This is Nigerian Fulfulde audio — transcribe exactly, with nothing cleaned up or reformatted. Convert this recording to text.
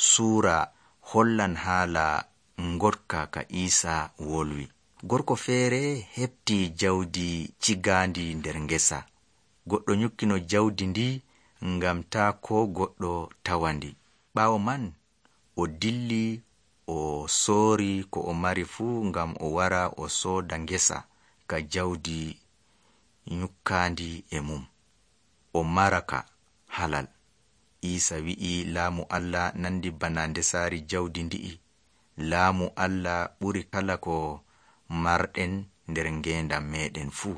suura hollan haala ngotka ka Iisa wolwi. Gorko feere heɓti jawdi cigaandi nder ngesa. Goɗɗo nyukkino jawdi ndi ngam taa koo goɗɗo tawandi. Ɓaawo man o dilli o soori ko o mari fuu ngam o wara o sooda ngesa ka jawdi nyukkaandi e mum. O maraka halal. Iisa wi'i laamu Allah nandi bana ndesaari jawdi ndi'i. Laamu Allah ɓuri kala ko marɗen nder ngeendam meeɗen fuu.